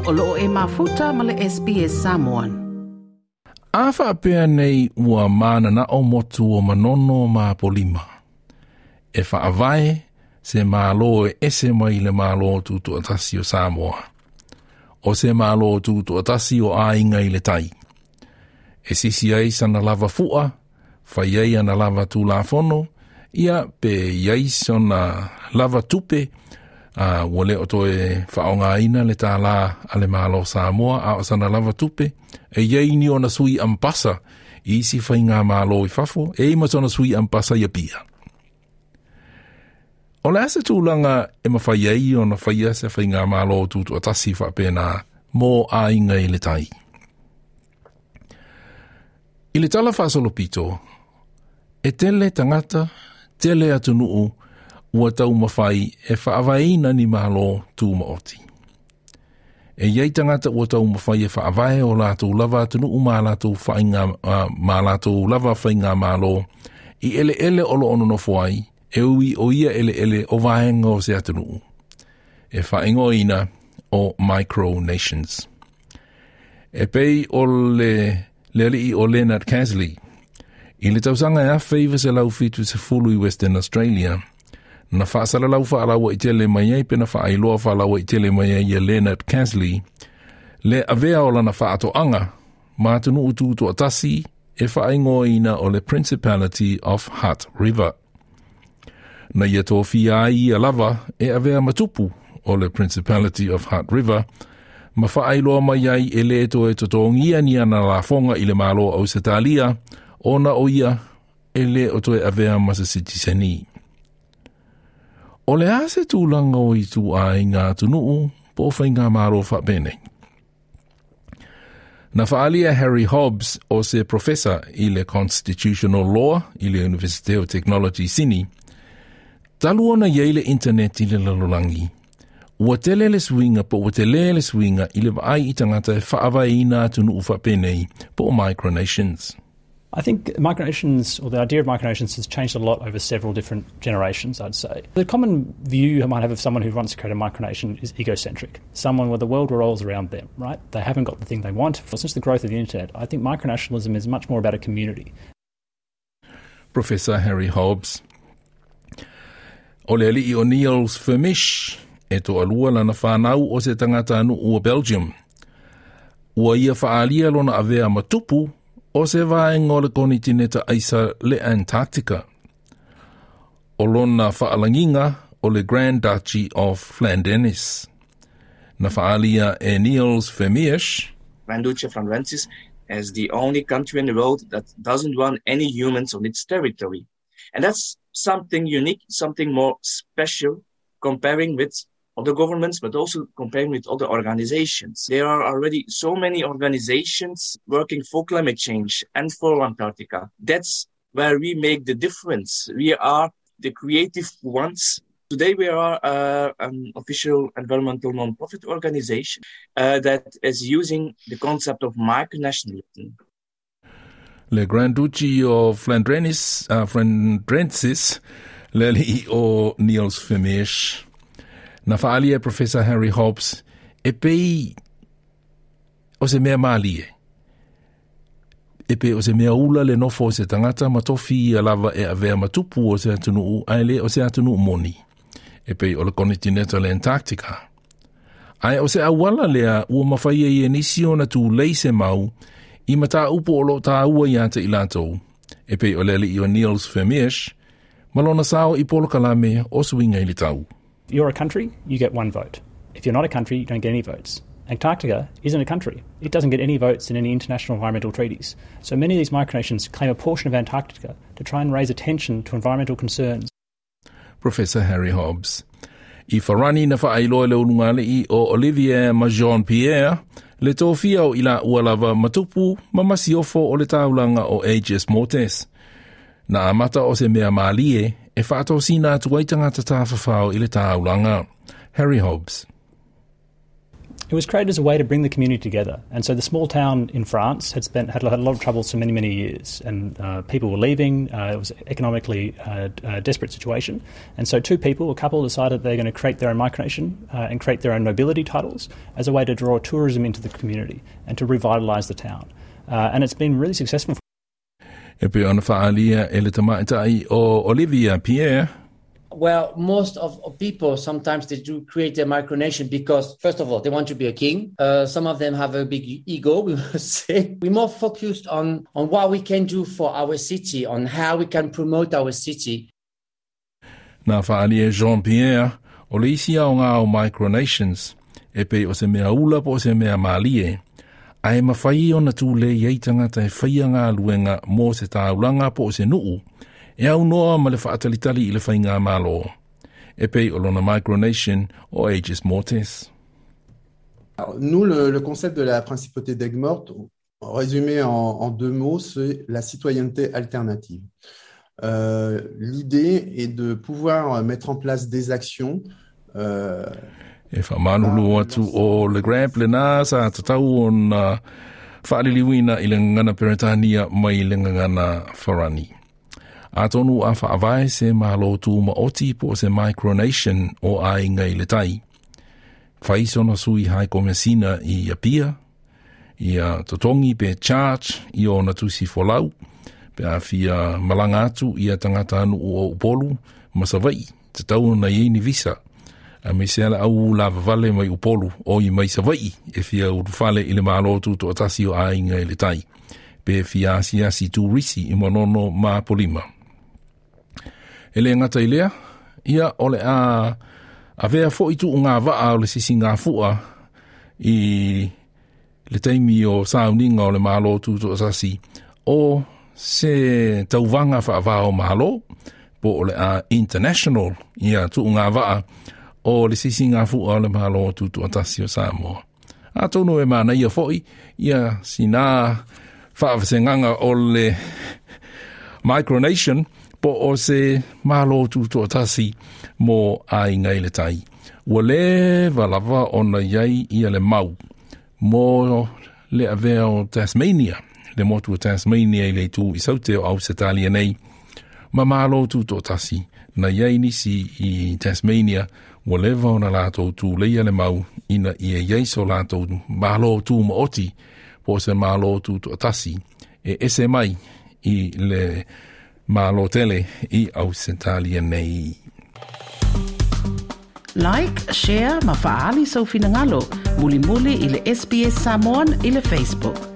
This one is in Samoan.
O loo e mafuta ma le SBS Samoan. A faapea nei ua mananao motu o Manono ma Apolima. E faavae se Malo e ese mai le Malo Tutoatasi o Samoa. O se Malo Tutoatasi o aiga i le tai. E sisi ai sana lava fua, fai ai ana lava tulafono, ia pe i ai sona lava tupe, a ua le o toe faaaogaina le tālā a le Malo Samoa, a o sana lava tupe, e i ai ni ona sui ampasa i isi faigamalo i fafo, e i ai ma sona sui ampasa i Apia. O le a se tulaga e mafai ai ona faia se faigamalo tutoatasi faapena mo aiga i le tai? I le tala faasolopito, e tele tagata, tele atunuu ua taumafai e faavaeina ni malo tumaoti. E i ai tagata ua taumafai e faavae o latou lava atunuu ma latou faiga, ma latou lava faigamalo i eleele o lo o nonofo ai, e ui o ia eleele o vaega o se atunuu, e faaigoaina o micronations. E pei o le le alii o Leonard Casley, i le tausaga e 1970 i Western Australia, na faasalalau faalauaitele mai ai pe na faailoa faalauaitele mai ai e Leonard Casley le avea o lana faatoaga ma atunuu tutoatasi e faaigoaina o le Principality of Hutt River. Na ia tofia ai ia lava e avea ma tupu o le Principality of Hutt River, ma faailoa mai ai e lē toe totogia ni ana lafoga i le Malo o Ausetalia, ona o ia e lē o toe avea ma se sitiseni. O le a se tulaga o ituaiga atunuu po o faigamalo faapenei? Na faaalia Harry Hobbs o se profesa i le Constitutional Law i le Universite o Technology Sini, talu ona i ai le internet i le lalolagi, ua tele le suiga po ua telē le suiga i le vaai i tagata e faavaeina atunuu faapenei po o micronations. I think micronations, or the idea of micronations, has changed a lot over several different generations, I'd say. The common view you might have of someone who wants to create a micronation is egocentric. Someone where the world revolves around them, right? They haven't got the thing they want. Since the growth of the internet, I think micronationalism is much more about a community. Professor Harry Hobbs. O le alii o Niels Vermisch, e toalua lana fanau o se tagatanuu o Belgium. Ua ia faaalia lona avea ma tupu o se vaega o le konitineta aisa le Antarctica. O lona faalagiga o le Grand Duchy of Flandenis. Na faaalia e Niels Vermeersch. Grand Duchy of Flandrensis as the only country in the world that doesn't want any humans on its territory. And that's something unique, something more special comparing with other governments, but also comparing with other organizations. There are already so many organizations working for climate change and for Antarctica. That's where we make the difference. We are the creative ones. Today we are uh, an official environmental non-profit organization uh, that is using the concept of micronationalism. Le Grand Duchy of Flandrenis, uh, Flandrensis, le alii o Niels Vermeersch. Na faaalia e Professor Harry Hobbs, e pei o se mea mālie. E pei o se mea ula le nofo o se tagata ma tofi ia lava e avea ma tupu o se atunuu ae le o se atunuu moni. E pei o le konitineta le Antarctica. Ae o se auala lea ua mafai ai e nisi ona tulei se mau i mataupu o lo o tāua ia te i latou, e pei o le alii o Niels Vermeersch, ma lona sao i polokalame o Suiga i le Tau. If you're a country, you get one vote. If you're not a country, you don't get any votes. Antarctica isn't a country. It doesn't get any votes in any international environmental treaties. So many of these micronations claim a portion of Antarctica to try and raise attention to environmental concerns. Professor Harry Hobbs. I Farani na faailoa e le ulugalii o Olivier ma Jean Pierre le tofia o i laua lava ma tupu ma masiofo o le taulaga o Aegis Mortis. Na amata o se mea mālie e faatosina atu ai tagata tafafao i le taulaga. Harry Hobbs. It was created as a way to bring the community together. And so the small town in France had spent had, had a lot of troubles for many, many years. And people were leaving. It was economically a desperate situation. And so two people, a couple, decided they're going to create their own micronation and create their own nobility titles as a way to draw tourism into the community and to revitalise the town. And it's been really successful. E pei ona faaalia e le tamaitai o Olivia Pierre. Well, most of people sometimes they do create their micronation because, first of all, they want to be a king. Some of them have a big ego, we must say. We're more focused on what we can do for our city, on how we can promote our city. Na faaalia Jean Pierre, o le isi aoga o micronations, e pei o se mea ula po o se mea mālie, ae mafai ona tulei ai tagata e faia galuega mo se taulaga po o se nuu, e aunoa ma le faatalitali i le faigamalo. E pei o lona micronation o Aegis Mortis. Alors, nous, le concept de la principauté d'Aigues-Mortes, résumé en deux mots, c'est la citoyenneté alternative. L'idée est de pouvoir mettre en place des actions E faamalulu atu o le Grab lenā sa tatau ona faaliliuina i le gagana Peretania mai le gagana Farani. Atonu a faavae se malo tumaoti po o se micronation o Aiga i le Tai. Fai sona sui High Komesina i Apia, ia totogi pe charge i ona tusi folau, pe a fia malaga atu ia tagatanuu o Upolu ma Savaii, tatau ona i ai ni visa. Aemaise lava le au lavavale mai Upolu oi mai Savaii e fia ulufale i le Malo Tutoatasi o Aiga i le Tai. Pe fia asiasi turisi i Manono ma Apolima. E le gata i lea, ia o le a avea fo'i tuugavaa o le sisigafua i le taimi o sauniga o le Malo Tutoatasi o se tauvaga faava o Malo, po o le a international ia tuugavaa o le sisigafua o le Malo Tutoatasi o Samoa. Atonu e manaia fo'i ia sinā faavasegaga o le micronation po o se Malo Tutoatasi mo Aiga i le Tai. Ua leva lava ona i ai ia le mau mo le avea o Tasmania, le motu o Tasmania i le itu i saute o Ausetalia nei, ma Malo Tutoatasi. Na i ai nisi i Tasmania, ua leva ona latou tuleia le mau ina ia i ai so latou Malo Tumaoti po o se Malo Tutoatasi e ese mai i le Malo tele i Ausetalia nei. Like, share ma faaali sou finagalo. Mulimuli i le SBS Samoan i le Facebook.